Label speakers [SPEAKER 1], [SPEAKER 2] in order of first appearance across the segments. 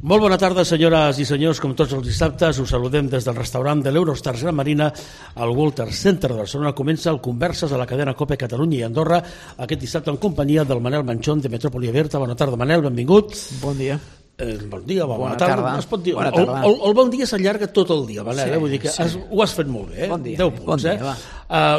[SPEAKER 1] Molt bona tarda, senyores i senyors. Com tots els dissabtes, us saludem des del restaurant de l'Eurostars Gran Marina al Walter Center de Barcelona. Comença el Converses a la cadena COPE Catalunya i Andorra aquest dissabte en companyia del Manel Manchón de Metrópoli Aberta. Bona tarda, Manel, benvingut.
[SPEAKER 2] Bon dia.
[SPEAKER 1] Bon dia, bona tarda. Es pot dir, el bon dia s'allarga tot el dia, Manel, vull dir que ho has fet molt bé.
[SPEAKER 2] Bon dia.
[SPEAKER 1] 10 punts,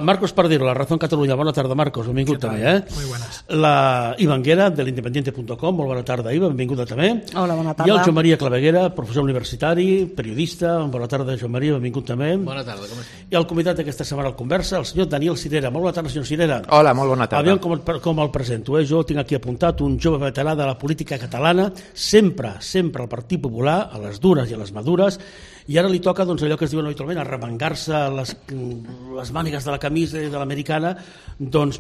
[SPEAKER 1] Marcos Pardero, La Razón Catalunya. Bona tarda, Marcos, benvingut també.
[SPEAKER 3] Muy buenas.
[SPEAKER 1] La Ivanguera, de l'independiente.com. Molt bona tarda, Iva, benvinguda també.
[SPEAKER 4] Hola, bona tarda.
[SPEAKER 1] I el Joan Maria Claveguera, professor universitari, periodista. Bona tarda, Joan Maria, benvingut també.
[SPEAKER 3] Bona tarda, com estàs?
[SPEAKER 1] I el convidat d'aquesta setmana al Conversa, el senyor Daniel Cirera. Molt bona tarda, senyor Cirera.
[SPEAKER 2] Hola, molt bona tarda.
[SPEAKER 1] Aviam com el presento. Jo tinc aquí apuntat un jove veterà de la política catalana, sempre al Partit Popular, a les dures i a les madures, i ara li toca allò que es diuen habitualment, arremangar-se les mànigues de la camisa i de l'americana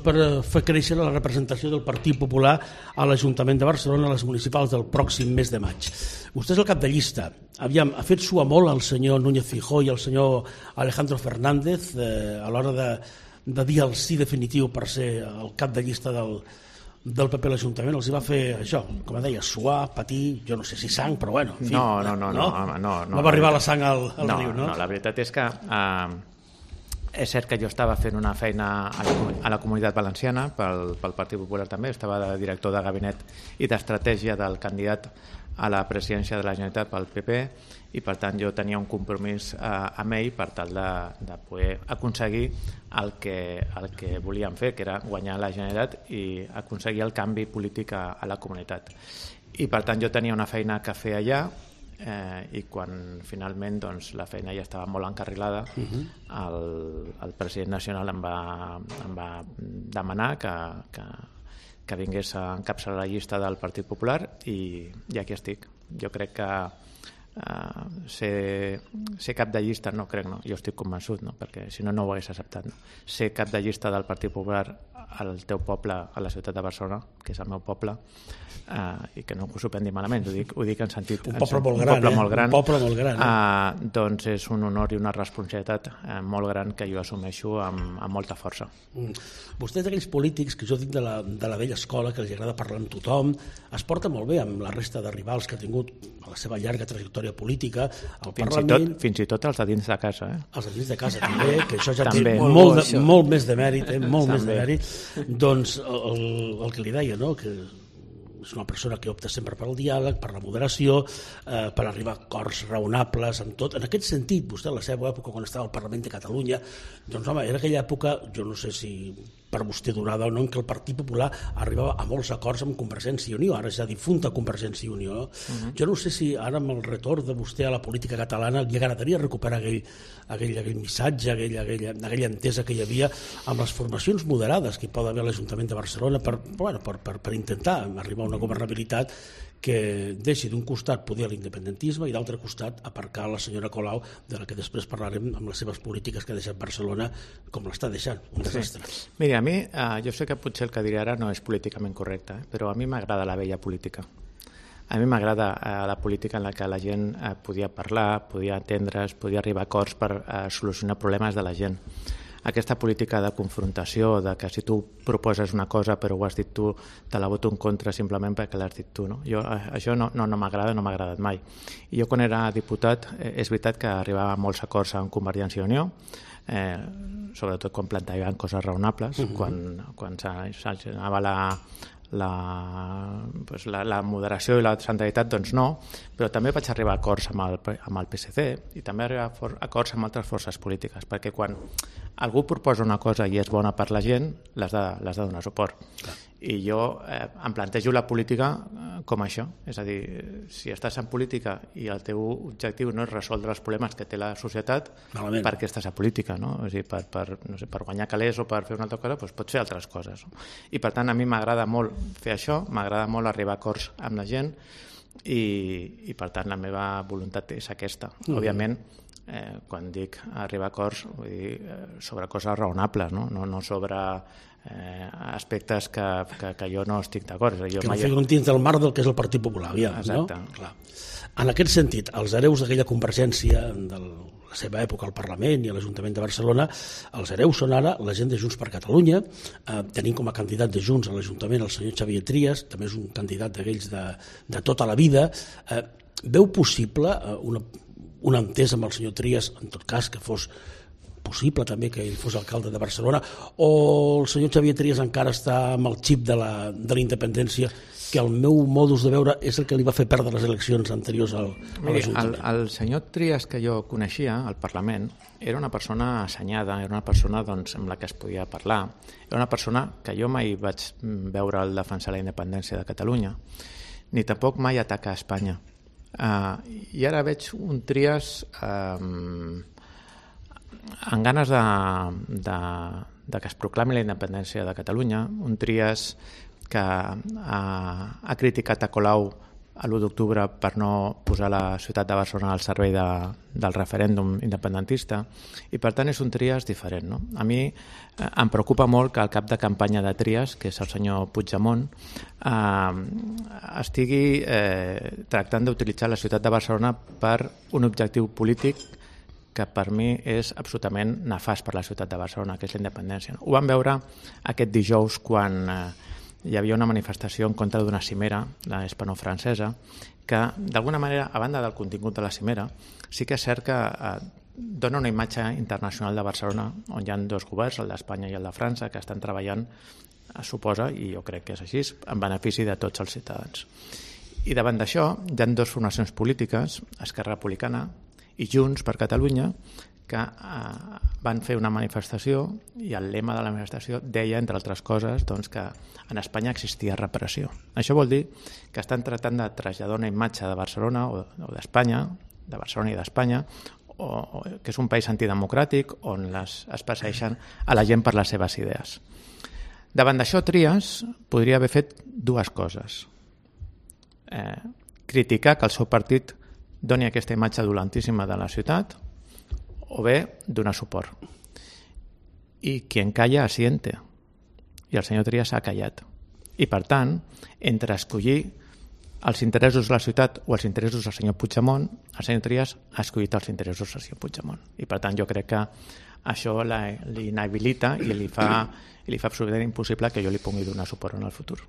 [SPEAKER 1] per fer créixer la representació del Partit Popular a l'Ajuntament de Barcelona, a les municipals del pròxim mes de maig. Vostè és el cap de llista. Aviam, ha fet suar molt el senyor Núñez Feijóo i el senyor Alejandro Fernández a l'hora de dir el sí definitiu per ser el cap de llista del PP a l'Ajuntament. Els va fer això, com deia, suar, patir, jo no sé si sang, però bueno, en fi. No va arribar la sang al riu, no?
[SPEAKER 2] No, la veritat és que és cert que jo estava fent una feina a la Comunitat Valenciana pel Partit Popular també, estava de director de gabinet i d'estratègia del candidat a la presidència de la Generalitat pel PP, i per tant jo tenia un compromís amb ell per tal de poder aconseguir el que volíem fer, que era guanyar la Generalitat i aconseguir el canvi polític a la comunitat. I per tant jo tenia una feina que fer allà, i quan finalment la feina ja estava molt encarrilada, el president nacional em va demanar que vingués a encapçalar la llista del Partit Popular, i aquí estic. Jo crec que ser cap de llista, no crec, no, jo estic convençut, no, perquè si no ho hagués acceptat, no. Ser cap de llista del Partit Popular al teu poble, a la ciutat de Barcelona, que és el meu poble, i que no us ho prengui malament, ho dic en sentit...
[SPEAKER 1] Un poble molt gran.
[SPEAKER 2] Doncs és un honor i una responsabilitat molt gran que jo assumeixo amb molta força.
[SPEAKER 1] Vostè és d'aquells polítics que jo dic de la vella escola, que els agrada parlar amb tothom, es porta molt bé amb la resta de rivals que ha tingut a la seva llarga trajectòria política al Parlament.
[SPEAKER 2] Fins i tot els de dins de casa.
[SPEAKER 1] Els de dins de casa també, que això ja té molt més de mèrit, molt més de mèrit. Doncs el que li deia, no?, que és una persona que opta sempre per al diàleg, per la moderació, per arribar a acords raonables amb tot. En aquest sentit, vostè a la seva època, quan estava al Parlament de Catalunya, doncs home, era aquella època, jo no sé si per vostè donada o no, en què el Partit Popular arribava a molts acords amb Convergència i Unió, ara ja difunta Convergència i Unió. Jo no sé si ara amb el retorn de vostè a la política catalana li agradaria recuperar aquell missatge, aquella entesa que hi havia amb les formacions moderades que hi pot haver a l'Ajuntament de Barcelona per intentar arribar a una governabilitat que deixi d'un costat poder l'independentisme i d'altre costat aparcar la senyora Colau, de la que després parlarem, amb les seves polítiques que ha deixat Barcelona com l'està deixant, un desastre.
[SPEAKER 2] Mira, a mi, jo sé que potser el que diré ara no és políticament correcte, però a mi m'agrada la vella política. A mi m'agrada la política en la que la gent podia parlar, podia entendre's, podia arribar a acords per solucionar problemes de la gent. Aquesta política de confrontació, de que si tu proposes una cosa però ho has dit tu, te la voto en contra simplement perquè l'has dit tu, no? Això no m'agrada, no m'ha agradat mai. I jo quan era diputat, és veritat que arribava a molts acords amb Convergència i Unió, sobretot quan plantejaven coses raonables, quan s'anava la moderació i la centralitat, doncs no, però també vaig arribar a acords amb el PSC i també arribar a acords amb altres forces polítiques, perquè quan algú proposa una cosa i és bona per la gent, l'has de donar suport. I jo em plantejo la política com això, és a dir, si estàs en política i el teu objectiu no és resoldre els problemes que té la societat, per què estàs a política, no? És a dir, per guanyar calés o per fer una altra cosa, doncs pots fer altres coses. I per tant a mi m'agrada molt fer això, m'agrada molt arribar a acords amb la gent i per tant la meva voluntat és aquesta. Òbviament, quan dic arribar a acords, vull dir sobre coses raonables, no sobre aspectes que jo no estic d'acord.
[SPEAKER 1] Que no figuren dins del marc del que és el Partit Popular.
[SPEAKER 2] Exacte.
[SPEAKER 1] Clar. En aquest sentit, els hereus d'aquella Convergència, de la seva època al Parlament i a l'Ajuntament de Barcelona, els hereus són ara la gent de Junts per Catalunya. Tenim com a candidat de Junts a l'Ajuntament el senyor Xavier Trias, també és un candidat d'aquells de tota la vida. Veu possible una entesa amb el senyor Trias, en tot cas que fos possible també que ell fos alcalde de Barcelona, o el senyor Xavier Trias encara està amb el xip de la independència, que el meu modus de veure és el que li va fer perdre les eleccions anteriors a l'Ajuntament?
[SPEAKER 2] El senyor Trias que jo coneixia al Parlament era una persona assenyada, era una persona amb la que es podia parlar, era una persona que jo mai vaig veure el defensar la independència de Catalunya, ni tampoc mai atacar a Espanya. I ara veig un Trias amb ganes de que es proclami la independència de Catalunya, un Trias que ha criticat a Colau l'1 d'octubre per no posar la ciutat de Barcelona al servei del referèndum independentista, i per tant és un Trias diferent, no? A mi em preocupa molt que el cap de campanya de Trias, que és el senyor Puigdemont, estigui tractant d'utilitzar la ciutat de Barcelona per un objectiu polític que per mi és absolutament nefast per la ciutat de Barcelona, que és la independència. Ho vam veure aquest dijous quan hi havia una manifestació en contra d'una cimera, la hispano-francesa, que d'alguna manera, a banda del contingut de la cimera, sí que és cert que dona una imatge internacional de Barcelona, on hi ha dos governs, el d'Espanya i el de França, que estan treballant, suposa, i jo crec que és així, en benefici de tots els ciutadans. I davant d'això hi ha dues formacions polítiques, Esquerra Republicana i Junts per Catalunya, que van fer una manifestació i el lema de la manifestació deia, entre altres coses, que en Espanya existia repressió. Això vol dir que estan tractant de traslladar una imatge de Barcelona o d'Espanya, de Barcelona i d'Espanya, que és un país antidemocràtic on es persegueixen a la gent per les seves idees. Davant d'això, Trias podria haver fet dues coses. Criticar que el seu partit doni aquesta imatge dolentíssima de la ciutat, o bé donar suport. I quien calla asiente. I el senyor Trias s'ha callat. I per tant, entre escollir els interessos de la ciutat o els interessos del senyor Puigdemont, el senyor Trias ha escollit els interessos del senyor Puigdemont. I per tant jo crec que això l'inhabilita i li fa absolutament impossible que jo li pugui donar suport en el futur.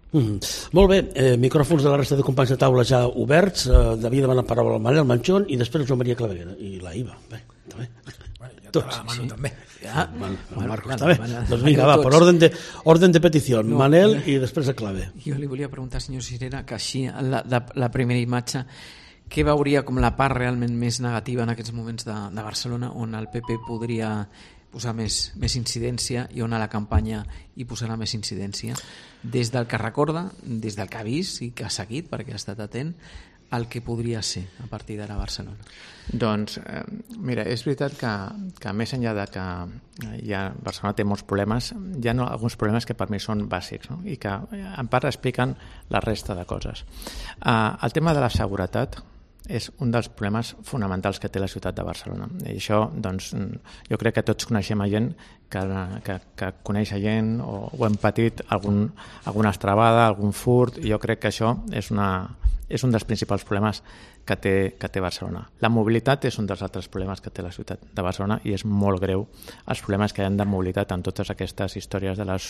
[SPEAKER 1] Molt bé, micròfons de la resta de companys de taula ja oberts. Devia demanar paraula al Manel Manchón i després Joan Maria Claveguera i la Iva. Bé, també.
[SPEAKER 3] Bueno, jo la Manu també.
[SPEAKER 1] Marcos, està bé. Doncs vinga, va, per orden de petició. Manel i després a Clave.
[SPEAKER 4] Jo li volia preguntar, senyor Cirera, que així, la primera imatge, què veuria com la part realment més negativa en aquests moments de Barcelona, on el PP podria posar més incidència i on a la campanya hi posarà més incidència? Des del que recorda, des del que ha vist i que ha seguit, perquè ha estat atent, el que podria ser a partir d'ara a Barcelona?
[SPEAKER 2] Doncs, mira, és veritat que més enllà de que Barcelona té molts problemes, hi ha alguns problemes que per mi són bàsics, no? I que en part expliquen la resta de coses. El tema de la seguretat és un dels problemes fonamentals que té la ciutat de Barcelona. I això, doncs, jo crec que tots coneixem a gent que coneix a gent o hem patit alguna estrabada, algun furt, i jo crec que això és un dels principals problemes que té Barcelona. La mobilitat és un dels altres problemes que té la ciutat de Barcelona i és molt greu els problemes que hi ha de mobilitat en totes aquestes històries de les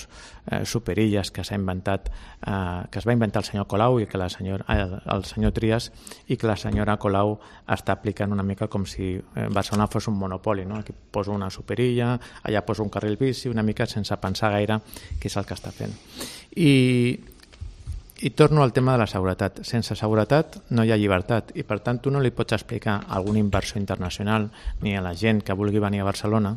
[SPEAKER 2] superilles que s'ha inventat, que es va inventar el senyor Colau i que el senyor Trias, i que la senyora Colau està aplicant una mica com si Barcelona fos un monopoli, no? Aquí poso una superilla, allà poso un carril bici, una mica sense pensar gaire què és el que està fent. I torno al tema de la seguretat. Sense seguretat no hi ha llibertat i per tant tu no li pots explicar a alguna inversió internacional ni a la gent que vulgui venir a Barcelona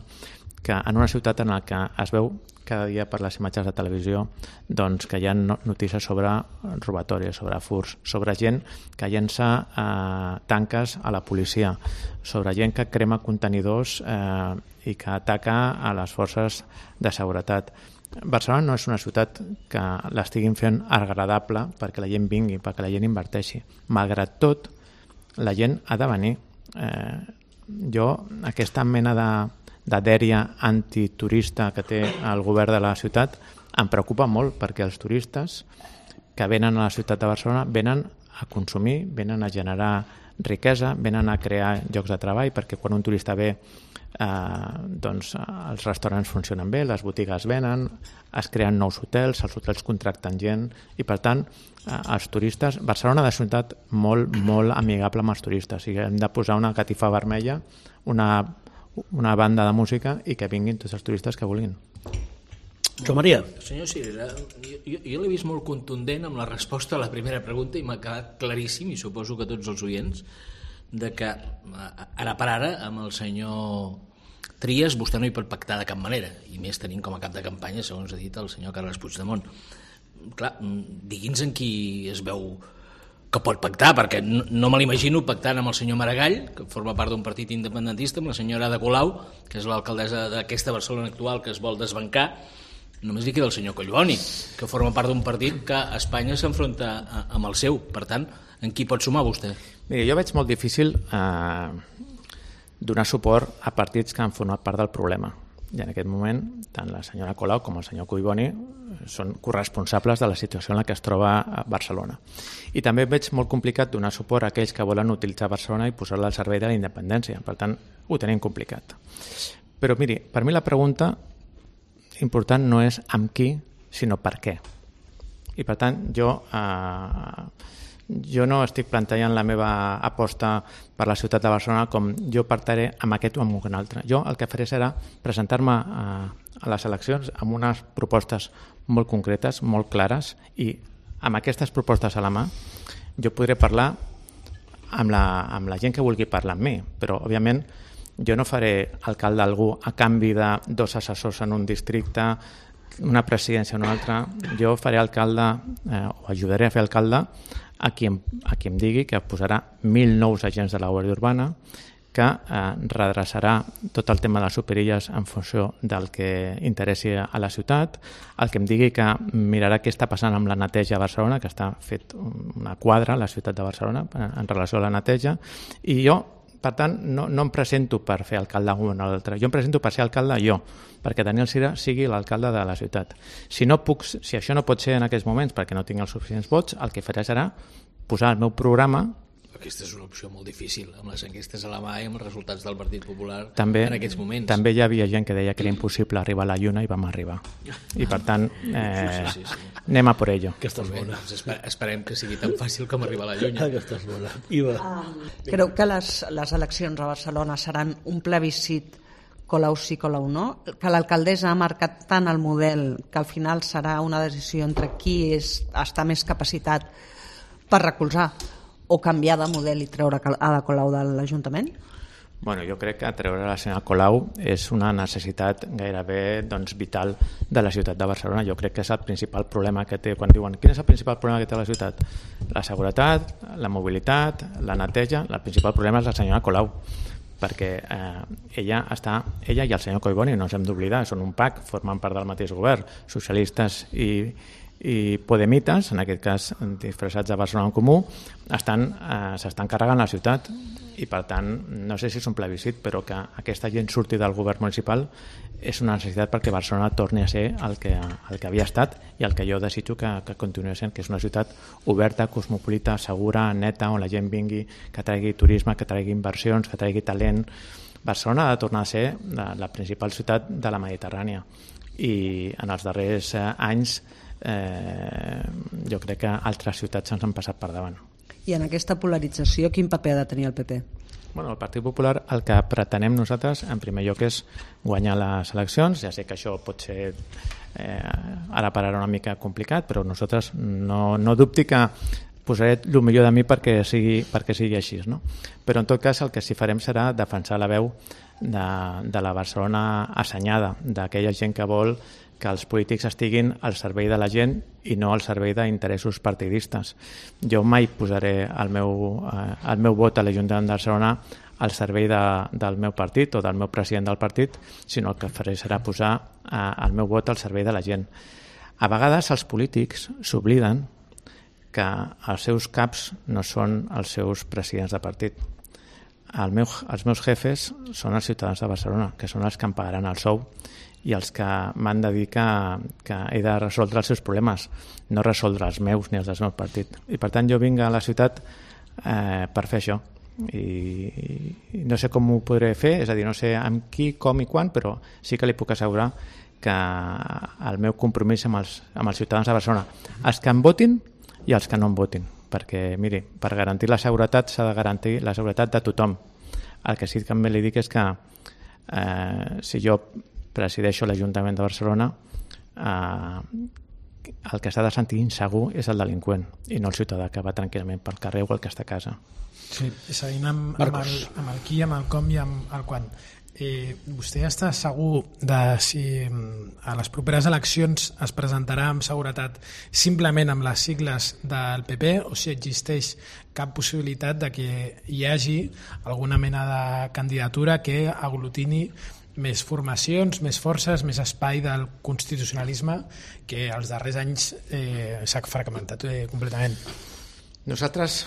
[SPEAKER 2] que en una ciutat en la que es veu cada dia per les imatges de televisió doncs que hi ha notícies sobre robatoris, sobre furts, sobre gent que llença tanques a la policia, sobre gent que crema contenidors i que ataca a les forces de seguretat. Barcelona no és una ciutat que l'estiguin fent agradable perquè la gent vingui, perquè la gent inverteixi. Malgrat tot, la gent ha de venir. Jo, aquesta mena de dèria antiturista que té el govern de la ciutat em preocupa molt perquè els turistes que venen a la ciutat de Barcelona venen a consumir, venen a generar riquesa, venen a crear llocs de treball, perquè quan un turista ve doncs els restaurants funcionen bé, les botigues venen, es creen nous hotels, els hotels contracten gent i per tant els turistes, Barcelona és una ciutat molt, molt amigable amb els turistes, i hem de posar una catifa vermella, una banda de música i que vinguin tots els turistes que vulguin.
[SPEAKER 1] Joan Maria.
[SPEAKER 3] Senyor Cirera, jo l'he vist molt contundent amb la resposta a la primera pregunta i m'ha quedat claríssim, i suposo que tots els oients, de que ara per ara amb el senyor Trias vostè no hi pot pactar de cap manera, i més tenint com a cap de campanya, segons ha dit el senyor Carles Puigdemont. Clar, digui'ns en qui es veu que pot pactar, perquè no me l'imagino pactant amb el senyor Maragall, que forma part d'un partit independentista, amb la senyora Ada Colau, que és l'alcaldessa d'aquesta Barcelona actual que es vol desbancar. Només li queda el senyor Collboni, que forma part d'un partit que a Espanya s'enfronta amb el seu. Per tant, en qui pot sumar vostè?
[SPEAKER 2] Mira, jo veig molt difícil donar suport a partits que han format part del problema. I en aquest moment, tant la senyora Colau com el senyor Collboni són corresponsables de la situació en la que es troba a Barcelona. I també veig molt complicat donar suport a aquells que volen utilitzar Barcelona i posar-la al servei de la independència. Per tant, ho tenim complicat. Però miri, per mi la pregunta important no és amb qui, sinó per què. I per tant, jo no estic plantejant la meva aposta per la ciutat de Barcelona com jo partiré amb aquest o amb un altre. Jo el que faré serà presentar-me a les eleccions amb unes propostes molt concretes, molt clares, i amb aquestes propostes a la mà jo podré parlar amb la gent que vulgui parlar amb mi, però òbviament jo no faré alcalde d'algú a canvi de 2 assessors en un districte, una presidència en un altre. Jo faré alcalde, o ajudaré a fer alcalde a qui em digui que posarà 1.000 nous agents de la Guàrdia Urbana, que redreçarà tot el tema de les superilles en funció del que interessi a la ciutat, el que em digui que mirarà què està passant amb la neteja a Barcelona, que està fet una quadra a la ciutat de Barcelona en relació a la neteja, i jo, per tant, no em presento per fer alcalde un o l'altre, jo em presento per ser alcalde jo, perquè Daniel Cira sigui l'alcalde de la ciutat. Si això no pot ser en aquests moments perquè no tinc els suficients vots, el que faré serà posar el meu programa.
[SPEAKER 3] Aquesta és una opció molt difícil, amb les enquestes a la mà i amb els resultats del Partit Popular
[SPEAKER 2] també,
[SPEAKER 3] en aquests moments.
[SPEAKER 2] També hi havia gent que deia que era impossible arribar a la Lluna i vam arribar. I per tant, sí. Anem a por ello.
[SPEAKER 1] Aquesta és bona.
[SPEAKER 3] Esperem que sigui tan fàcil com arribar a la Lluna.
[SPEAKER 1] Aquesta és bona. Iva.
[SPEAKER 5] Creu que les eleccions a Barcelona seran un plebiscit Colau sí, Colau no? Que l'alcaldessa ha marcat tant el model que al final serà una decisió entre qui està més capacitat per recolzar o canviar de model i treure Ada Colau de l'Ajuntament?
[SPEAKER 2] Bueno, jo crec que treure la senyora Colau és una necessitat gairebé vital de la ciutat de Barcelona. Jo crec que és el principal problema que té. Quan diuen quin és el principal problema que té la ciutat? La seguretat, la mobilitat, la neteja. El principal problema és la senyora Colau, perquè ella i el senyor Collboni, no ens hem d'oblidar, són un PAC, formen part del mateix govern, socialistes i podemites, en aquest cas disfressats de Barcelona en Comú, s'estan carregant la ciutat, i per tant no sé si és un plebiscit, però que aquesta gent surti del govern municipal és una necessitat perquè Barcelona torni a ser el que havia estat i el que jo desitjo que continuï sent, que és una ciutat oberta, cosmopolita, segura, neta, on la gent vingui, que traigui turisme, que traigui inversions, que traigui talent. Barcelona ha de tornar a ser la principal ciutat de la Mediterrània, i en els darrers anys jo crec que altres ciutats ens han passat per davant.
[SPEAKER 5] I en aquesta polarització quin paper ha de tenir el PP?
[SPEAKER 2] Bueno, el Partit Popular el que pretenem nosaltres en primer lloc és guanyar les eleccions. Ja sé que això pot ser ara per ara una mica complicat, però nosaltres no dubti que posaré el millor de mi perquè sigui així, no? Però en tot cas el que sí farem serà defensar la veu de la Barcelona assenyada, d'aquella gent que vol que els polítics estiguin al servei de la gent i no al servei d'interessos partidistes. Jo mai posaré el meu vot a l'Ajuntament de Barcelona al servei del meu partit o del meu president del partit, sinó el que faré serà posar el meu vot al servei de la gent. A vegades els polítics s'obliden que els seus caps no són els seus presidents de partit. Els meus jefes són els ciutadans de Barcelona, que són els que em pagaran el sou i els que m'han de dir que he de resoldre els seus problemes, no resoldre els meus ni els del meu partit. I per tant jo vinc a la ciutat per fer això, i no sé com ho podré fer, és a dir, no sé amb qui, com i quan, però sí que li puc assegurar que el meu compromís amb els ciutadans de Barcelona, els que em votin i els que no em votin, perquè, miri, per garantir la seguretat s'ha de garantir la seguretat de tothom. El que sí que també li dic és que si jo presideixo l'Ajuntament de Barcelona, el que s'ha de sentir insegur és el delinqüent i no el ciutadà que va tranquil·lament pel carrer o el que està a casa.
[SPEAKER 6] Sí, seguint amb el qui, amb el com i amb el quan. Vostè està segur de si a les properes eleccions es presentarà amb seguretat simplement amb les sigles del PP o si existeix cap possibilitat de que hi hagi alguna mena de candidatura que aglutini més formacions, més forces, més espai del constitucionalisme que els darrers anys s'ha fragmentat completament.
[SPEAKER 2] Nosaltres,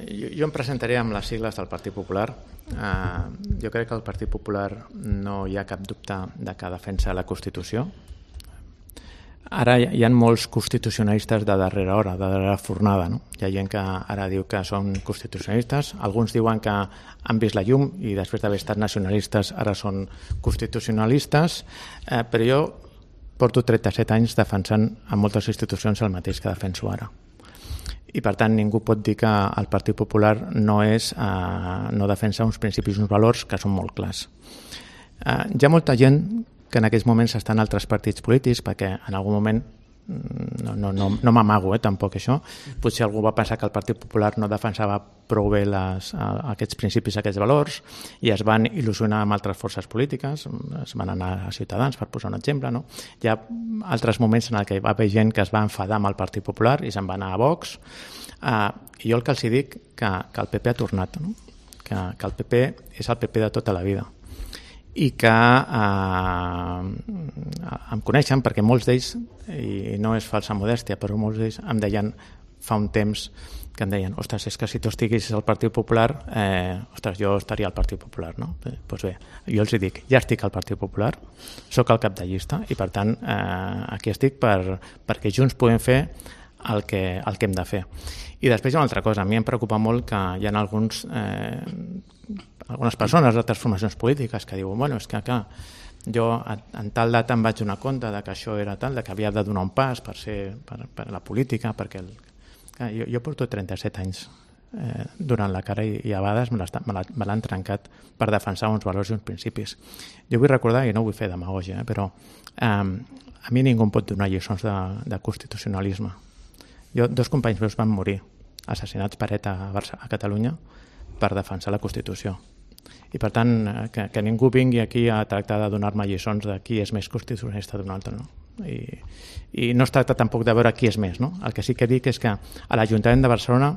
[SPEAKER 2] jo em presentaré amb les sigles del Partit Popular. Jo crec que el Partit Popular no hi ha cap dubte de que defensa la Constitució. Ara hi ha molts constitucionalistes de darrera hora, de darrera fornada. No? Hi ha gent que ara diu que són constitucionalistes, alguns diuen que han vist la llum i després d'haver estat nacionalistes ara són constitucionalistes, però jo porto 37 anys defensant a moltes institucions el mateix que defenso ara. I per tant ningú pot dir que el Partit Popular no defensa uns principis i uns valors que són molt clars. Hi ha molta gent que en aquests moments està en altres partits polítics perquè en algun moment no m'amago tampoc això, potser algú va pensar que el Partit Popular no defensava prou bé aquests principis, aquests valors i es van il·lusionar amb altres forces polítiques, es van anar a Ciutadans per posar un exemple, no? Hi ha altres moments en què va haver gent que es va enfadar amb el Partit Popular i se'n va anar a Vox, i jo el que els dic que el PP ha tornat, no? Que el PP és el PP de tota la vida i que em coneixen perquè molts d'ells, i no és falsa modèstia, però molts d'ells em deien fa un temps que em deien, ostres, és que si tu estiguessis al Partit Popular, ostres, jo estaria al Partit Popular, no? Doncs bé, jo els dic, ja estic al Partit Popular, sóc el cap de llista i per tant aquí estic perquè junts podem fer el que hem de fer. I després hi ha una altra cosa, a mi em preocupa molt que hi ha algunes persones d'altres formacions polítiques que diuen, bueno, és que jo en tal data em vaig donar compte de que això era tal, de que havia de donar un pas per la política, perquè jo porto 37 anys durant la cara i a vegades me l'han trencat per defensar uns valors i uns principis. Jo vull recordar, i no vull fer demagògia, però a mi ningú em pot donar lliçons de constitucionalisme. Dos companys meus van morir assassinats per ETA a Catalunya per defensar la Constitució. I per tant, que ningú vingui aquí a tractar de donar-me lliçons de qui és més constitucionalista d'un altre, no? I no es tracta tampoc de veure qui és més, no? El que sí que dic és que a l'Ajuntament de Barcelona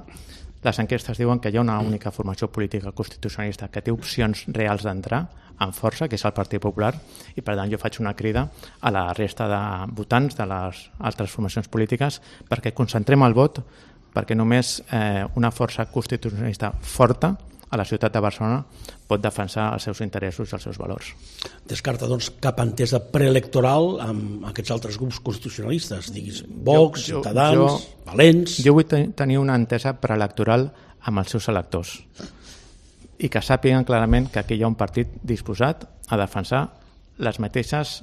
[SPEAKER 2] les enquestes diuen que hi ha una única formació política constitucionalista que té opcions reals d'entrar amb força, que és el Partit Popular, i per tant jo faig una crida a la resta de votants de les altres formacions polítiques perquè concentrem el vot, perquè només una força constitucionalista forta a la ciutat de Barcelona pot defensar els seus interessos i els seus valors.
[SPEAKER 1] Descarta, doncs, cap entesa preelectoral amb aquests altres grups constitucionalistes, diguis Vox, Ciutadans, Valents...
[SPEAKER 2] Jo vull tenir una entesa preelectoral amb els seus electors i que sàpiguen clarament que aquí hi ha un partit disposat a defensar els mateixos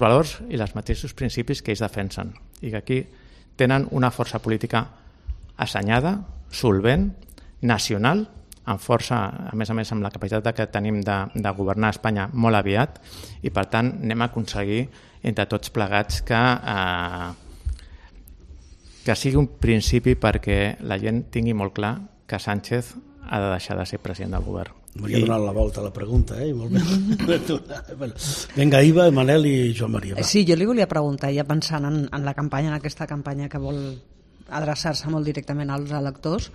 [SPEAKER 2] valors i els mateixos principis que ells defensen i que aquí tenen una força política assenyada, solvent, nacional, amb força, a més amb la capacitat que tenim de governar Espanya molt aviat i per tant anem a aconseguir entre tots plegats que sigui un principi perquè la gent tingui molt clar que Sánchez ha de deixar de ser president del govern.
[SPEAKER 1] M'hauria donat la volta a la pregunta, molt bé. Vinga, Iva, Manel i Joan Maria. Va.
[SPEAKER 5] Sí, jo li volia preguntar, ja pensant en la campanya, en aquesta campanya que vol adreçar-se molt directament als electors,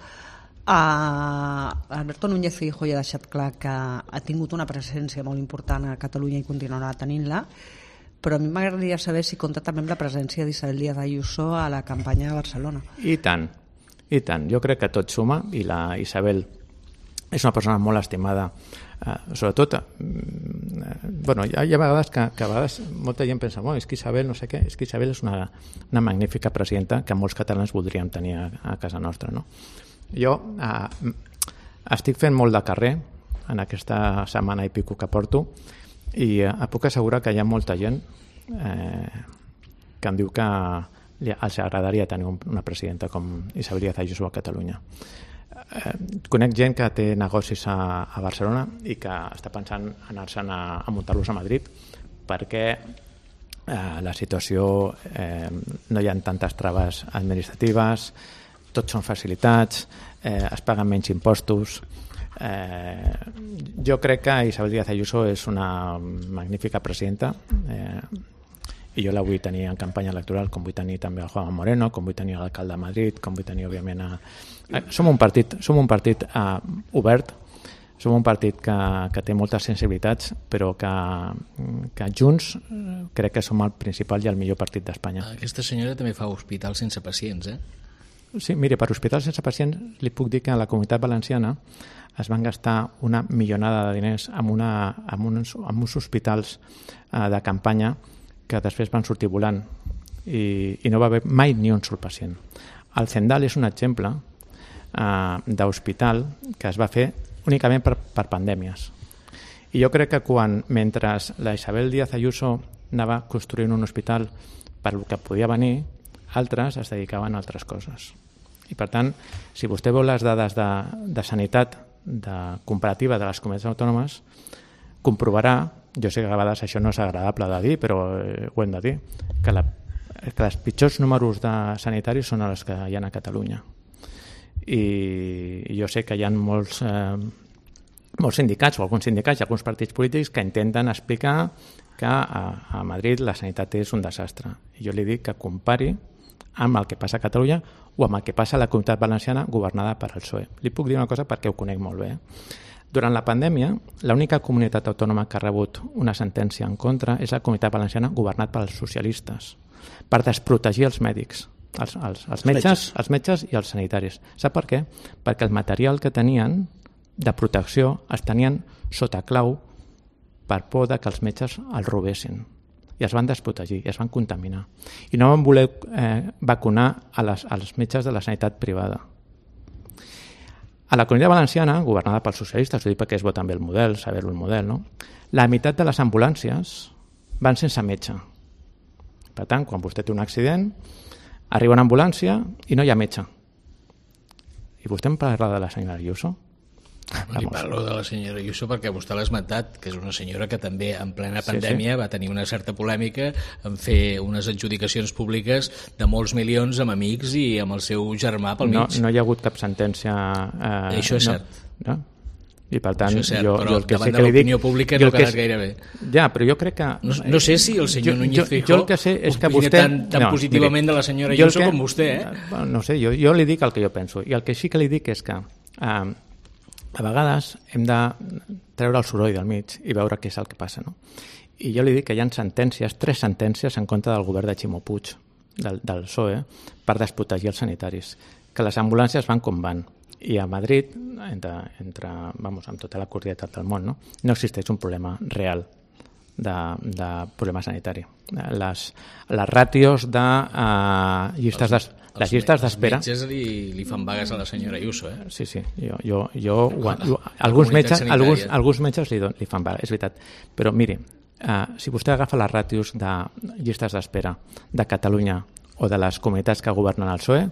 [SPEAKER 5] Alberto Núñez Feijóo ja ha deixat clar que ha tingut una presència molt important a Catalunya i continuarà tenint-la, però a mi m'agradaria saber si compta també amb la presència d'Isabel Díaz Ayuso a la campanya de Barcelona.
[SPEAKER 2] I tant. Jo crec que tot suma i la Isabel és una persona molt estimada, sobretot hi ha vegades que a vegades molta gent pensa, és que Isabel no sé què, és que Isabel és una magnífica presidenta que molts catalans voldríem tenir a casa nostra, no? Jo estic fent molt de carrer en aquesta setmana i pico que porto i puc assegurar que hi ha molta gent que em diu que els agradaria tenir una presidenta com Isabel Díaz Ayuso a Catalunya. Conec gent que té negocis a Barcelona i que està pensant anar-se'n a muntar-los a Madrid perquè la situació no hi ha tantes traves administratives, tots són facilitats, es paguen menys impostos. Jo crec que Isabel Díaz Ayuso és una magnífica presidenta i jo la vull tenir en campanya electoral, com vull tenir també el Juan Moreno, com vull tenir l'alcalde de Madrid, com vull tenir, òbviament, som un partit obert, som un partit que té moltes sensibilitats, però que junts crec que som el principal i el millor partit d'Espanya.
[SPEAKER 3] Aquesta senyora també fa hospitals sense pacients,
[SPEAKER 2] Sí, mire, per hospitals sense pacients li puc dir que a la Comunitat Valenciana es van gastar una milionada de diners en uns hospitals de campanya que després van sortir volant i no va haver mai ni un sol pacient. El Zendal és un exemple d'hospital que es va fer únicament per pandèmies. I jo crec que mentre la Isabel Díaz Ayuso anava construint un hospital per el que podia venir, altres es dedicaven a altres coses. I per tant, si vostè veu les dades de sanitat comparativa de les comunitats autònomes, comprovarà, jo sé que a vegades això no és agradable de dir, però ho hem de dir, que els pitjors números de sanitaris són els que hi ha a Catalunya. I jo sé que hi ha molts sindicats, o alguns sindicats i alguns partits polítics que intenten explicar que a Madrid la sanitat és un desastre. I jo li dic que compari amb el que passa a Catalunya o amb el que passa a la Comunitat Valenciana governada per el PSOE. Li puc dir una cosa perquè ho conec molt bé. Durant la pandèmia, l'única comunitat autònoma que ha rebut una sentència en contra és la Comunitat Valenciana governat pels socialistes, per desprotegir els mèdics, els metges i els sanitaris. Sap per què? Perquè el material que tenien de protecció els tenien sota clau per por que els metges els robessin. I es van desprotegir, i es van contaminar. I no van voler vacunar als metges de la sanitat privada. A la Comunitat Valenciana, governada pels socialistes, ho dic perquè es veu també el model, saber-ho el model, no? La meitat de les ambulàncies van sense metge. Per tant, quan vostè té un accident, arriba una ambulància i no hi ha metge. I vostè em parla de la senyora Ayuso?
[SPEAKER 3] Li parlo de la senyora Ayuso perquè vostè l'ha esmentat, que és una senyora que també en plena pandèmia va tenir una certa polèmica en fer unes adjudicacions públiques de molts milions amb amics i amb el seu germà pel mig.
[SPEAKER 2] No hi ha hagut cap sentència...
[SPEAKER 3] Això és cert.
[SPEAKER 2] No? I per tant,
[SPEAKER 3] això és cert,
[SPEAKER 2] jo
[SPEAKER 3] però
[SPEAKER 2] el que
[SPEAKER 3] davant
[SPEAKER 2] sé
[SPEAKER 3] de
[SPEAKER 2] que li dic...
[SPEAKER 3] l'opinió pública no ha quedat gaire bé.
[SPEAKER 2] Ja, però jo crec que...
[SPEAKER 3] No sé si el senyor Núñez Feijóo opina tan positivament de la senyora Ayuso com vostè,
[SPEAKER 2] No sé, jo li dic el que jo penso. I el que sí que li dic és que a vegades hem de treure el soroll del mig i veure què és el que passa, no? I jo li dic que hi ha sentències, 3 sentències en contra del govern de Ximo Puig, del PSOE, per desprotegir els sanitaris, que les ambulàncies van com van. I a Madrid, amb tota la cordialitat del món, no existeix un problema real de problema sanitari. Les ràtios de llistes d'espera...
[SPEAKER 3] Els metges li fan vagues a la senyora Ayuso,
[SPEAKER 2] Sí, alguns metges li fan vagues, és veritat. Però miri, si vostè agafa les ràtios de llistes d'espera de Catalunya o de les comunitats que governen el PSOE,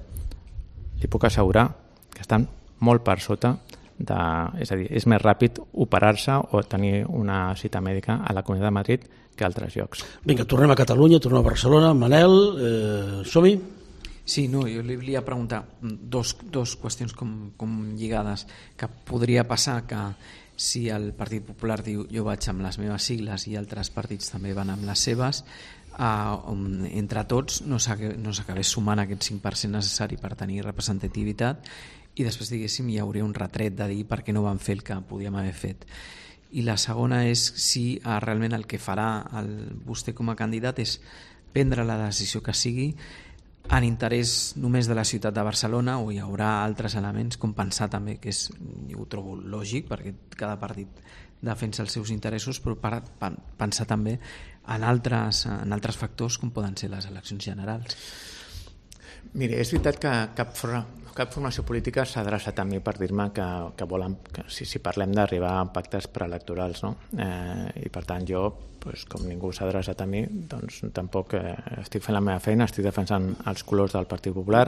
[SPEAKER 2] li puc assegurar que estan molt per sota és a dir, és més ràpid operar-se o tenir una cita mèdica a la Comunitat de Madrid que a altres llocs.
[SPEAKER 1] Vinga, tornem a Catalunya, tornem a Barcelona. Manel, som-hi?
[SPEAKER 4] Sí, no, jo li volia preguntar dos qüestions com lligades, que podria passar que si el Partit Popular diu jo vaig amb les meves sigles i altres partits també van amb les seves, entre tots no s'acabés sumant aquest 5% necessari per tenir representativitat i després, diguéssim, hi hauria un retret de dir per què no van fer el que podíem haver fet. I la segona és si realment el que farà vostè com a candidat és prendre la decisió que sigui en interès només de la ciutat de Barcelona o hi haurà altres elements com pensar també, que ho trobo lògic perquè cada partit defensa els seus interessos, però pensar també en altres factors com poden ser les eleccions generals.
[SPEAKER 2] Mira, és veritat que cap formació política s'ha adreçat a mi per dir-me que volen, que si parlem d'arribar a pactes preelectorals, no? I per tant jo, com ningú s'ha adreçat a mi, doncs tampoc estic fent la meva feina, estic defensant els colors del Partit Popular,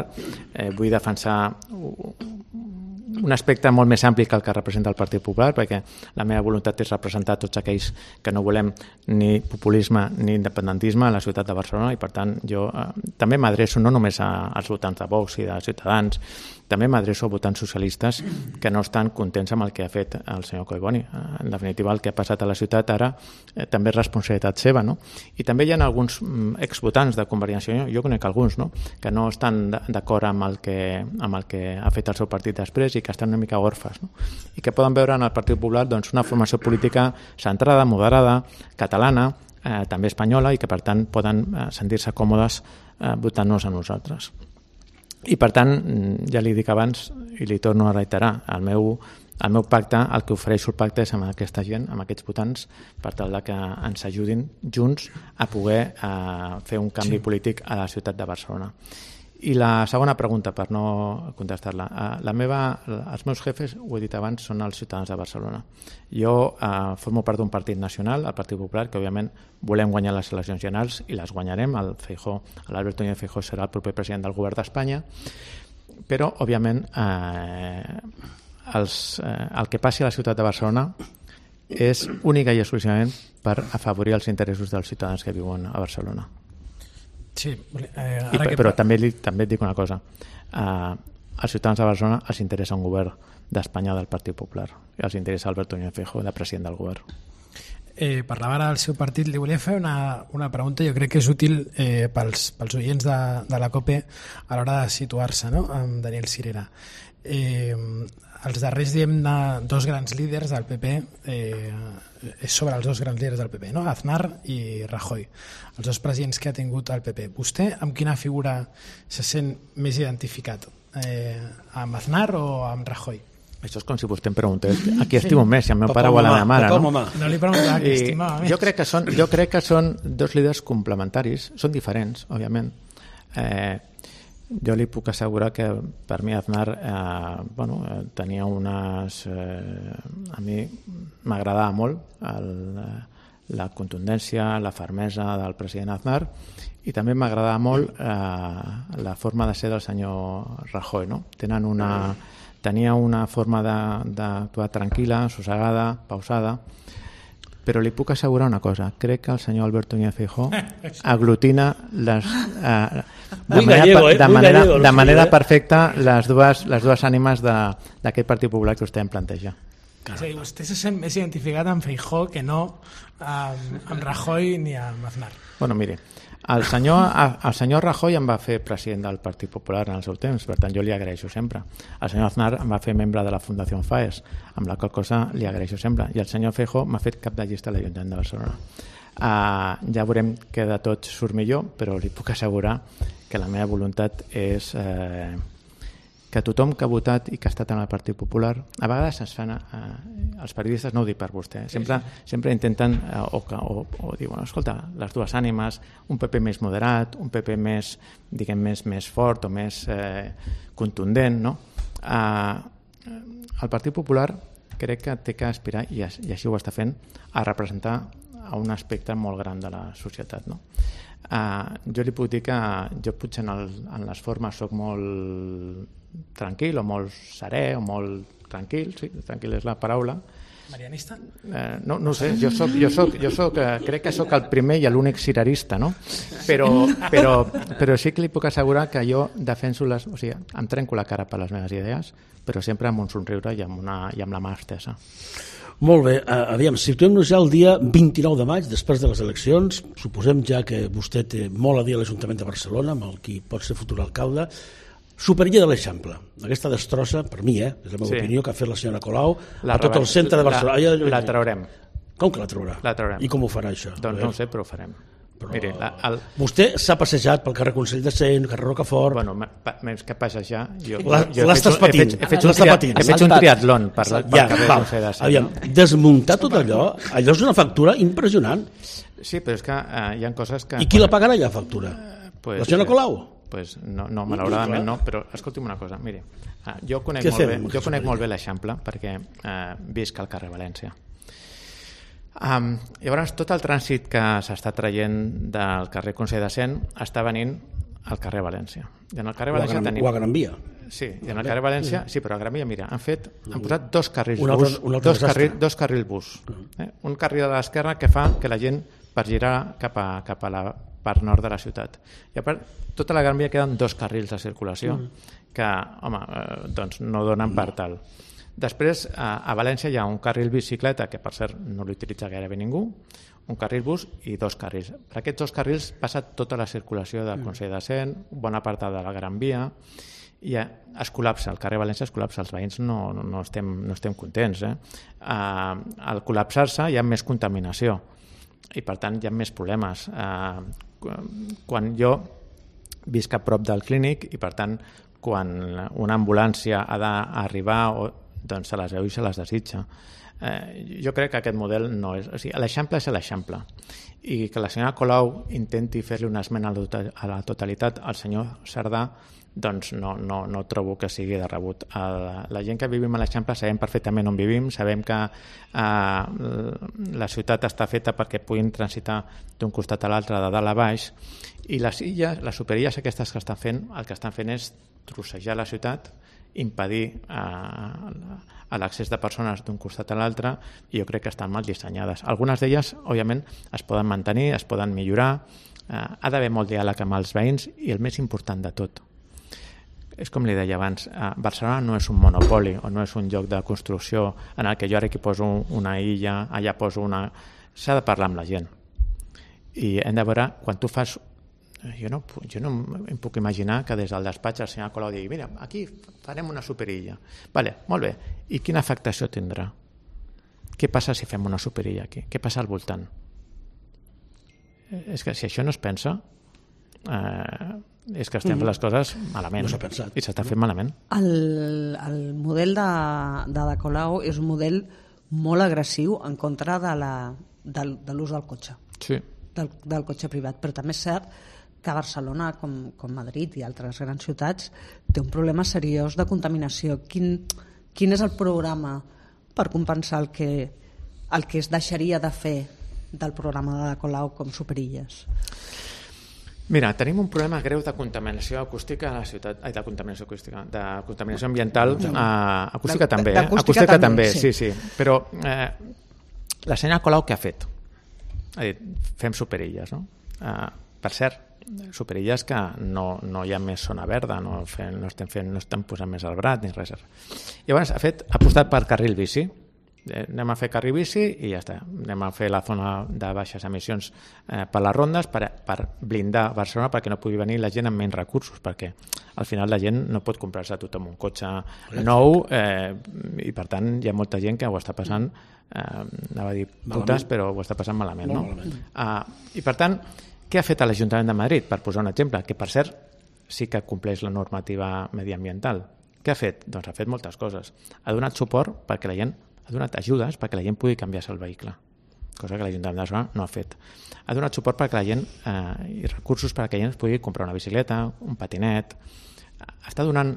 [SPEAKER 2] vull defensar un aspecte molt més ampli que el que representa el Partit Popular, perquè la meva voluntat és representar tots aquells que no volem ni populisme ni independentisme a la ciutat de Barcelona, i per tant jo també m'adreço no només als votants de Vox i de Ciutadans, també m'adreço a votants socialistes que no estan contents amb el que ha fet el senyor Collboni. En definitiva, el que ha passat a la ciutat ara també és responsabilitat seva, no? I també hi ha alguns exvotants de Convergència i Unió, jo conec alguns, no?, que no estan d'acord amb el que ha fet el seu partit després i que estan una mica orfes, no? I que poden veure en el Partit Popular doncs, una formació política centrada, moderada, catalana, també espanyola, i que per tant poden sentir-se còmodes votant-nos a nosaltres. I per tant, ja li dic abans i li torno a reiterar, el meu pacte, el que ofereixo el pacte és amb aquesta gent, amb aquests votants, per tal que ens ajudin junts a poder fer un canvi polític a la ciutat de Barcelona. I la segona pregunta, per no contestar-la, els meus jefes, ho he dit abans, són els ciutadans de Barcelona. Jo formo part d'un partit nacional, el Partit Popular, que òbviament volem guanyar les eleccions generals i les guanyarem. L'Alberto Núñez Feijóo serà el proper president del govern d'Espanya, però òbviament el que passi a la ciutat de Barcelona és única i exclusivament per afavorir els interessos dels ciutadans que viuen a Barcelona.
[SPEAKER 6] Sí,
[SPEAKER 2] però també et dic una cosa, als ciutadans de Barcelona els interessa un govern d'Espanya del Partit Popular i els interessa Alberto Núñez Feijóo de president del govern.
[SPEAKER 6] Parlava ara del seu partit, li volia fer una pregunta, jo crec que és útil pels oients de la COPE a l'hora de situar-se, no?, amb Daniel Sirera. Els darrers, dos grans líders del PP, és sobre els dos grans líders del PP, no?, Aznar i Rajoy, els dos presidents que ha tingut el PP. Vostè amb quina figura se sent més identificat? Amb Aznar o amb Rajoy?
[SPEAKER 2] Això és com si vostè em preguntés a qui estimo més, si el meu pare o a la meva mare, no?
[SPEAKER 6] No li preguntava qui estimava més.
[SPEAKER 2] Jo crec que són dos líders complementaris, són diferents, òbviament. Jo li puc assegurar que per mi Aznar tenia unes... a mi m'agradava molt la contundència, la fermesa del president Aznar, i també m'agradava molt la forma de ser del senyor Rajoy, no? Tenia una forma d'actuar tranquil·la, sossegada, pausada, però li puc assegurar una cosa, crec que el senyor Alberto Núñez Feijóo aglutina de manera perfecta les dues ànimes d'aquest Partit Popular que vostè em planteja.
[SPEAKER 6] És a dir, vostè se sent més identificat amb Feijóo que no amb Rajoy ni amb Aznar.
[SPEAKER 2] Bueno, mire, el senyor Rajoy em va fer president del Partit Popular en el seu temps, per tant jo li agraeixo sempre. El senyor Aznar em va fer membre de la Fundació FAES, amb la qual cosa li agraeixo sempre. I el senyor Feijóo m'ha fet cap de llista a l'Ajuntament de Barcelona. Ja veurem que de tot surt millor, però li puc assegurar que la meva voluntat és que tothom que ha votat i que ha estat en el Partit Popular, a vegades es fan, els periodistes, no ho dic per vostè, sempre intenten o diuen, escolta, les dues ànimes, un PP més moderat, un PP més, diguem, més fort o més contundent, no? El Partit Popular crec que té que aspirar, i així ho està fent, a representar a un aspecte molt gran de la societat, no? Jo li puc dir que jo potser en les formes soc molt tranquil o molt serè o molt tranquil, sí, tranquil és la paraula.
[SPEAKER 6] Marianista?
[SPEAKER 2] No sé, crec que sóc el primer i l'únic sirerista, no? Però sí que li puc assegurar que jo defenso o sigui, em trenco la cara per les meves idees, però sempre amb un somriure i amb la mà estesa.
[SPEAKER 1] Molt bé, aviam, situem-nos ja el dia 29 de maig, després de les eleccions. Suposem ja que vostè té molt a dir a l'Ajuntament de Barcelona, amb el qui pot ser futur alcalde. Superilla de l'Eixample, aquesta destrossa, per mi, és la meva opinió, que ha fet la senyora Colau a tot el centre de Barcelona.
[SPEAKER 2] La traurem.
[SPEAKER 1] Com que la traurà?
[SPEAKER 2] La traurem.
[SPEAKER 1] I com ho farà, això?
[SPEAKER 2] Doncs no ho sé, però ho farem.
[SPEAKER 1] Miri, vostè s'ha passejat pel carrer Consell de Cent, carrer Rocafort...
[SPEAKER 2] Bueno, més que passejar...
[SPEAKER 1] L'estàs patint.
[SPEAKER 2] He fet un triatlon per carrer Consell de Cent.
[SPEAKER 1] Aviam, desmuntar tot allò és una factura impressionant.
[SPEAKER 2] Sí, però és que hi ha coses que...
[SPEAKER 1] I qui la pagarà, la factura? La senyora Colau?
[SPEAKER 2] pues no, malauradament no, però escolti'm una cosa, miri, jo conec molt bé l'Eixample perquè visc al carrer València. Llavors, tot el trànsit que s'està traient del carrer Consell de Cent està venint al carrer València. I en el carrer València tenim...
[SPEAKER 1] O a Gran Via.
[SPEAKER 2] Sí, i en el carrer València, sí, però a Gran Via, mira, han posat dos carrils dos carrils bus. Un carril a l'esquerra que fa que la gent per girar cap a la part nord de la ciutat. I a part, tota la Gran Via queden dos carrils de circulació que, home, doncs no donen per tal. Després, a València hi ha un carril bicicleta, que per cert no l'utilitza gairebé ningú, un carril bus i dos carrils. Per aquests dos carrils passa tota la circulació del Consell de Cent, bona part de la Gran Via, i es col·lapsa, el carrer València es col·lapsa, els veïns no estem contents. Al col·lapsar-se hi ha més contaminació i per tant hi ha més problemes. Quan jo visc a prop del clínic i per tant quan una ambulància ha d'arribar doncs se les veu i se les desitja. Jo crec que aquest model no és... O sigui, l'Eixample és l'Eixample i que la senyora Colau intenti fer-li una esmena a la totalitat al senyor Cerdà, doncs no trobo que sigui de rebut. La gent que vivim a l'Eixample sabem perfectament on vivim, sabem que la ciutat està feta perquè puguin transitar d'un costat a l'altre, de dalt a baix, i les superilles aquestes que estan fent, el que estan fent és trossejar la ciutat, impedir l'accés de persones d'un costat a l'altre, i jo crec que estan mal dissenyades. Algunes d'elles, òbviament, es poden mantenir, es poden millorar, ha d'haver molt diàleg amb els veïns, i el més important de tot, és com li deia abans, Barcelona no és un monopoli o no és un lloc de construcció en el que jo ara aquí poso una illa, allà poso una... S'ha de parlar amb la gent. I hem de veure, quan tu fas... Jo no em puc imaginar que des del despatx el senyor Colau digui mira, aquí farem una superilla. Vale, molt bé. I quina afectació tindrà? Què passa si fem una superilla aquí? Què passa al voltant? És que si això no es pensa... és que estem fent les coses malament, i s'està fent malament.
[SPEAKER 5] El model de Colau és un model molt agressiu en contra de l'ús del cotxe, del cotxe privat, però també és cert que Barcelona, com Madrid i altres grans ciutats, té un problema seriós de contaminació. Quin és el programa per compensar el que es deixaria de fer del programa de Colau com superilles?
[SPEAKER 2] Mira, tenim un problema greu de contaminació acústica a la ciutat, de contaminació acústica, de contaminació ambiental, acústica també, acústica també, sí. Però la senyora Colau què ha fet? Ha dit, fem superilles, no? Per cert, superilles que no hi ha més zona verda, no estem posant més arbrat ni res. Llavors ha apostat per carril bici. Anem a fer carril bici i ja està. Anem a fer la zona de baixes emissions per les rondes per blindar Barcelona perquè no pugui venir la gent amb menys recursos, perquè al final la gent no pot comprar-se tothom un cotxe nou i per tant hi ha molta gent que ho està passant, anava a dir putes, però ho està passant malament, no? I per tant, què ha fet l'Ajuntament de Madrid? Per posar un exemple, que per cert sí que compleix la normativa mediambiental. Què ha fet? Doncs ha fet moltes coses. Ha donat suport perquè la gent ha donat ajudes perquè la gent pugui canviar-se el vehicle, cosa que l'Ajuntament de Barcelona no ha fet. Ha donat suport perquè la gent i recursos perquè la gent pugui comprar una bicicleta, un patinet. Està donant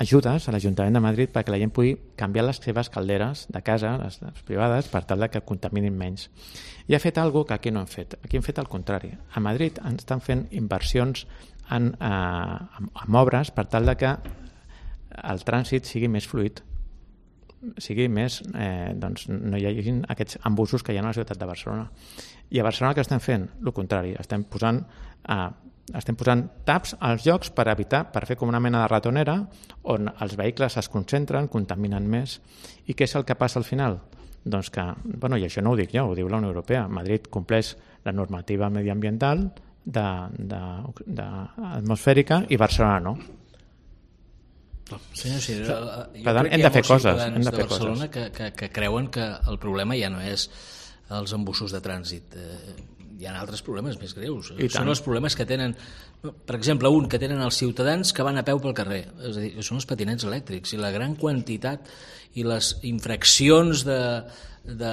[SPEAKER 2] ajudes a l'Ajuntament de Madrid perquè la gent pugui canviar les seves calderes de casa, les privades, per tal que contaminin menys. I ha fet alguna cosa que aquí no hem fet. Aquí hem fet el contrari. A Madrid estan fent inversions en obres per tal que el trànsit sigui més fluid, sigui més, doncs no hi hagi aquests embussos que hi ha a la ciutat de Barcelona. I a Barcelona què estem fent? El contrari, estem posant taps als llocs per fer com una mena de ratonera on els vehicles es concentren, contaminen més. I què és el que passa al final? Doncs que, i això no ho dic jo, ho diu la Unió Europea, Madrid compleix la normativa mediambiental atmosfèrica i Barcelona no.
[SPEAKER 3] Senyor Cirera,
[SPEAKER 2] jo crec que hi ha molts
[SPEAKER 3] ciutadans de Barcelona que creuen que el problema ja no és els embussos de trànsit. Hi ha altres problemes més greus. Són els problemes que tenen, per exemple, un que tenen els ciutadans que van a peu pel carrer, és a dir, són els patinets elèctrics, i la gran quantitat i les infraccions de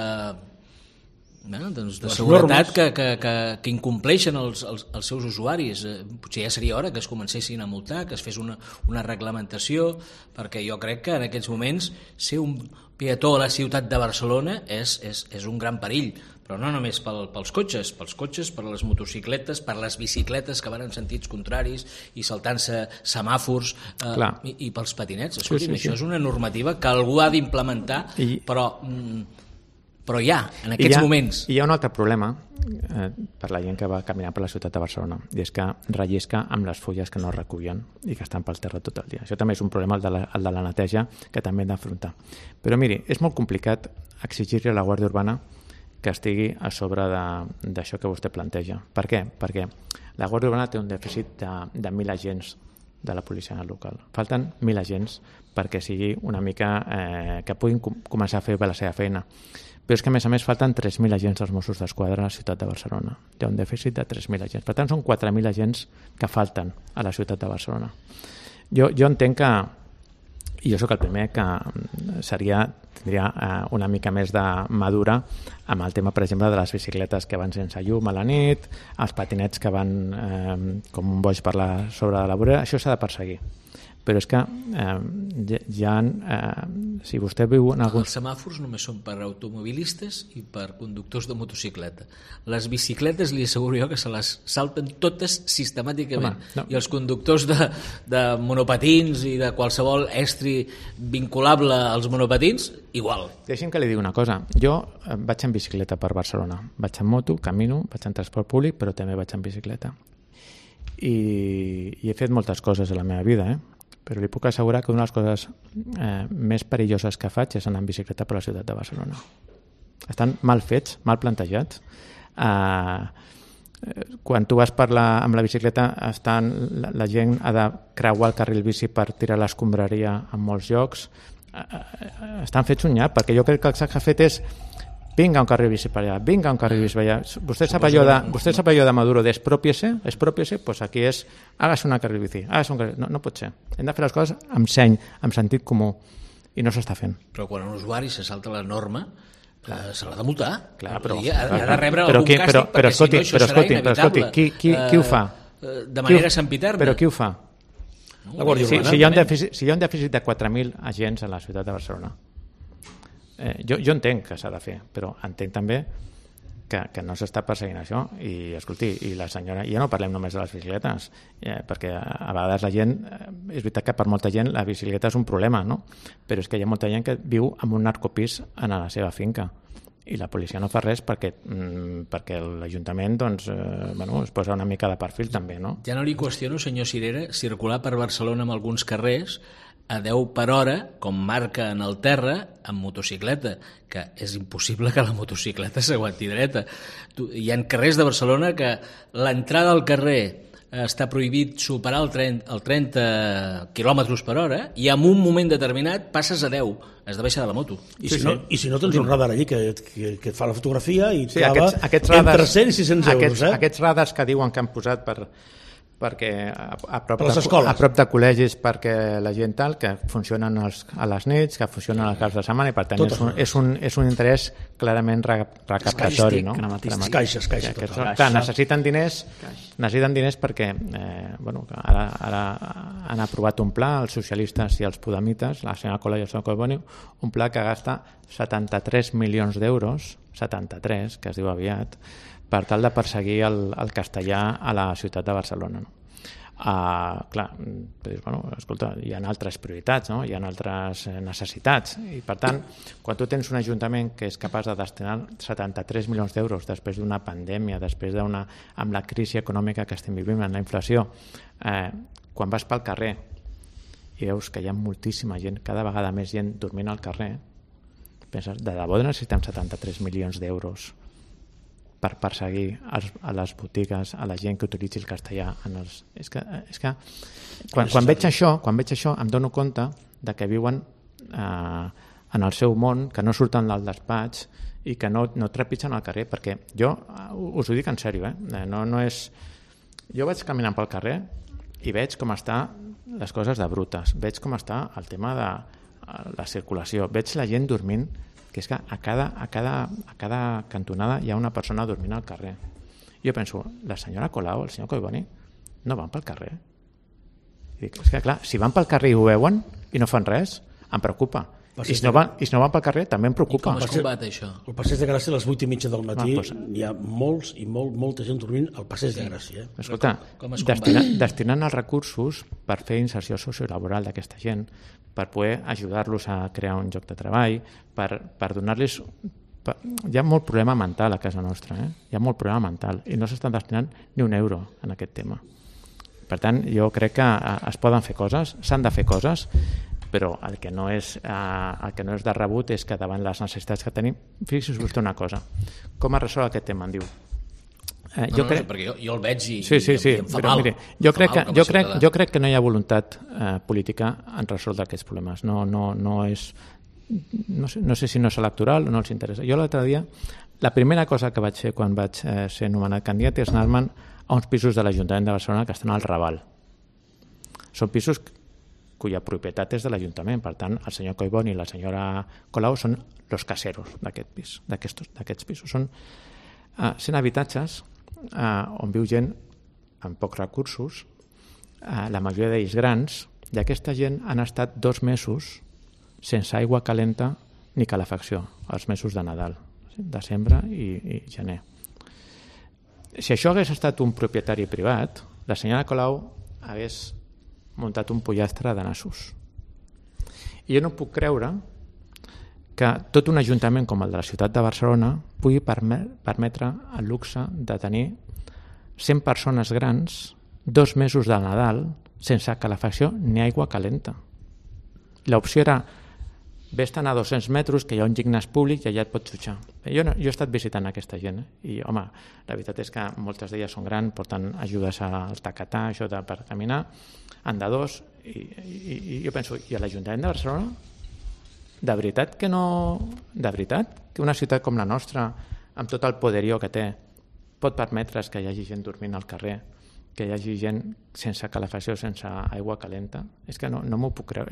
[SPEAKER 3] doncs de seguretat que incompleixen els seus usuaris. Potser ja seria hora que es comencessin a multar, que es fes una reglamentació, perquè jo crec que en aquests moments ser un peató a la ciutat de Barcelona és un gran perill, però no només pels cotxes, per les motocicletes, per les bicicletes que van en sentits contraris i saltant-se semàfors, i pels patinets. Escolti'm, això és una normativa que algú ha d'implementar, però ja, en aquests moments.
[SPEAKER 2] I hi ha un altre problema per la gent que va caminar per la ciutat de Barcelona, i és que rellisca amb les fulles que no recullen i que estan pel terra tot el dia. Això també és un problema, el de la neteja, que també hem d'afrontar. Però miri, és molt complicat exigir-li a la Guàrdia Urbana que estigui a sobre d'això que vostè planteja. Per què? Perquè la Guàrdia Urbana té un dèficit de 1.000 agents de la policia local. Falten 1.000 agents perquè sigui una mica que puguin començar a fer la seva feina. Però és que, a més, falten 3.000 agents dels Mossos d'Esquadra a la ciutat de Barcelona. Hi ha un dèficit de 3.000 agents. Per tant, són 4.000 agents que falten a la ciutat de Barcelona. Jo entenc que, i jo sóc el primer, que tindria una mica més de madura amb el tema, per exemple, de les bicicletes que van sense llum a la nit, els patinets que van com un boig per sobre de la vorera. Això s'ha de perseguir. Però és que si vostè viu en alguns...
[SPEAKER 3] Els semàfors només són per automobilistes i per conductors de motocicleta. Les bicicletes li asseguro jo que se les salten totes sistemàticament. I els conductors de monopatins i de qualsevol estri vinculable als monopatins, igual.
[SPEAKER 2] Deixi'm que li digui una cosa. Jo vaig en bicicleta per Barcelona. Vaig en moto, camino, vaig en transport públic, però també vaig en bicicleta. I he fet moltes coses a la meva vida, però li puc assegurar que una de les coses més perilloses que faig és anar en bicicleta per la ciutat de Barcelona. Estan mal fets, mal plantejats. Quan tu vas amb la bicicleta, la gent ha de creuar el carril bici per tirar l'escombraria en molts llocs. Estan fets un nyap, perquè jo crec que el que s'ha fet és vinga un carril bici per allà, vinga un carril bici per allà. Vostè sap allò de Maduro d'expropiese, pues aquí és hágase un carril bici, no pot ser. Hem de fer les coses amb seny, amb sentit comú, i no s'està fent.
[SPEAKER 3] Però quan un usuari se salta la norma, se l'ha de multar.
[SPEAKER 2] Clar, però
[SPEAKER 3] ha de rebre algun càstig, perquè si no això serà inevitable.
[SPEAKER 2] Qui ho fa?
[SPEAKER 3] De manera sempiterna.
[SPEAKER 2] Però qui ho fa?
[SPEAKER 1] La Guàrdia Urbana.
[SPEAKER 2] Si hi ha un dèficit de 4.000 agents a la ciutat de Barcelona, jo entenc que s'ha de fer, però entenc també que no s'està perseguint això. I escolti, i la senyora, ja no parlem només de les bicicletes, perquè a vegades la gent, és veritat que per molta gent la bicicleta és un problema, no? Però és que hi ha molta gent que viu en un narcopís a la seva finca i la policia no fa res perquè l'Ajuntament es posa una mica de perfil també, no?
[SPEAKER 3] Ja no li qüestiono, senyor Cirera, circular per Barcelona en alguns carrers a 10 per hora, com marca en el terra, amb motocicleta, que és impossible que la motocicleta s'aguanti dreta. Hi ha carrers de Barcelona que l'entrada al carrer està prohibit superar el 30 km per hora i en un moment determinat passes a 10, has de baixar de la moto.
[SPEAKER 1] I si no tens un radar allí que fa la fotografia i clava entre 100 i 600 euros.
[SPEAKER 2] Aquests radars que diuen que han posat perquè a prop de col·legis, perquè la gent que funcionen a les nits, que funcionen als caps de setmana, i per tant és un interès clarament recaptatori, no?
[SPEAKER 1] Caixes.
[SPEAKER 2] Necessiten diners perquè ara han aprovat un pla, els socialistes i els podemites, la senyora Colau i el senyor Collboni, un pla que gasta 73 milions d'euros, 73, que es diu aviat, per tal de perseguir el castellà a la ciutat de Barcelona. Clar, escolta, hi ha altres prioritats, no? Hi ha altres necessitats, i per tant, quan tu tens un ajuntament que és capaç de destinar 73 milions d'euros després d'una pandèmia, després amb la crisi econòmica que estem vivint, amb la inflació, quan vas pel carrer i veus que hi ha moltíssima gent, cada vegada més gent dormint al carrer, penses, de debò necessitem 73 milions d'euros per perseguir a les botigues, a la gent que utilitzi el castellà. És que quan veig això em dono compte de que viuen en el seu món, que no surten del despatx i que no trepitgen al carrer, perquè jo us ho dic en sèrio, no és... Jo vaig caminant pel carrer i veig com està les coses de brutes, veig com està el tema de la circulació, veig la gent dormint que és que a cada cantonada hi ha una persona dormint al carrer. Jo penso, la senyora Colau, el senyor Collboni, no van pel carrer. I dic, és que clar, si van pel carrer i ho veuen i no fan res, em preocupa. I si no van pel carrer també em preocupa.
[SPEAKER 3] I com es combat això?
[SPEAKER 1] El Passeig de Gràcia a les 8:30 del matí hi ha molta gent dormint al Passeig de Gràcia.
[SPEAKER 2] Escolta, destinant els recursos per fer inserció sociolaboral d'aquesta gent, per poder ajudar-los a crear un lloc de treball, per donar-los... Hi ha molt problema mental a casa nostra, hi ha molt problema mental i no s'estan destinant ni un euro en aquest tema. Per tant, jo crec que es poden fer coses, s'han de fer coses, però el que no és de rebut és que davant les necessitats que tenim, fixi's vostè una cosa, com es resol aquest tema, em diu.
[SPEAKER 3] Perquè jo el veig i em fa
[SPEAKER 2] però
[SPEAKER 3] mal.
[SPEAKER 2] Mire, jo crec que no hi ha voluntat política en resoldre aquests problemes. No és... No sé si no és electoral o no els interessa. Jo l'altre dia, la primera cosa que vaig fer quan vaig ser nomenat candidat és anar-me'n a uns pisos de l'Ajuntament de Barcelona que estan al Raval. Són pisos cuya propietat és de l'Ajuntament, per tant el senyor Collboni i la senyora Colau són los caseros d'aquests pisos. Són 100 habitatges on viu gent amb pocs recursos, la majoria d'ells grans, i aquesta gent han estat 2 mesos sense aigua calenta ni calefacció, els mesos de Nadal, desembre i gener. Si això hagués estat un propietari privat, la senyora Colau hagués muntat un pollastre de nassos. I jo no puc creure que tot un ajuntament com el de la ciutat de Barcelona pugui permetre el luxe de tenir 100 persones grans 2 mesos de Nadal sense calefacció ni aigua calenta. L'opció era vés-te'n a 200 metres, que hi ha un gimnàs públic i allà et pots dutxar. Jo he estat visitant aquesta gent, i home, la veritat és que moltes d'elles són grans, porten ajudes al tacatà, això per caminar, andadors, i jo penso, i a l'Ajuntament de Barcelona? De veritat que una ciutat com la nostra, amb tot el poderío que té, pot permetre's que hi hagi gent dormint al carrer, que hi hagi gent sense calefacció, sense aigua calenta? És que no m'ho puc creure.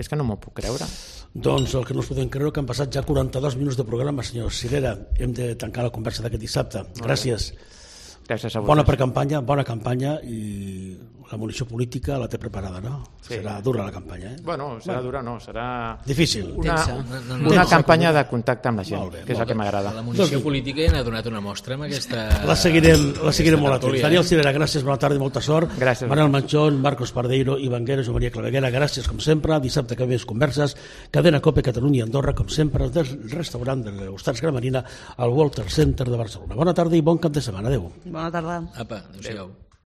[SPEAKER 1] Doncs el que no us podem creure que han passat ja 42 minuts de programa, senyor Cirera. Hem de tancar la conversa d'aquest dissabte. Gràcies.
[SPEAKER 2] Gràcies a vosaltres.
[SPEAKER 1] Bona campanya, i la munició política la té preparada, no? Sí. Serà dura la campanya,
[SPEAKER 2] Bueno, serà dura, no, serà...
[SPEAKER 1] Difícil.
[SPEAKER 2] Una campanya de contacte amb la gent, que és el que m'agrada.
[SPEAKER 3] La munició política ja n'ha donat una mostra amb aquesta...
[SPEAKER 1] La seguirem molt atents. Daniel Cirera, gràcies, bona tarda i molta sort.
[SPEAKER 2] Gràcies.
[SPEAKER 1] Manel Manchón, Marcos Pardeiro, Ivan Guerra, Joan Maria Claveguera, gràcies com sempre. Dissabte que ve més converses. Cadena COPE Catalunya i Andorra, com sempre, del restaurant de l'Hostats Gramarina al Walter Center de Barcelona. Bona tarda i bon cap de setmana. Adéu.
[SPEAKER 5] Bona tarda.
[SPEAKER 3] Apa, adéu-siau.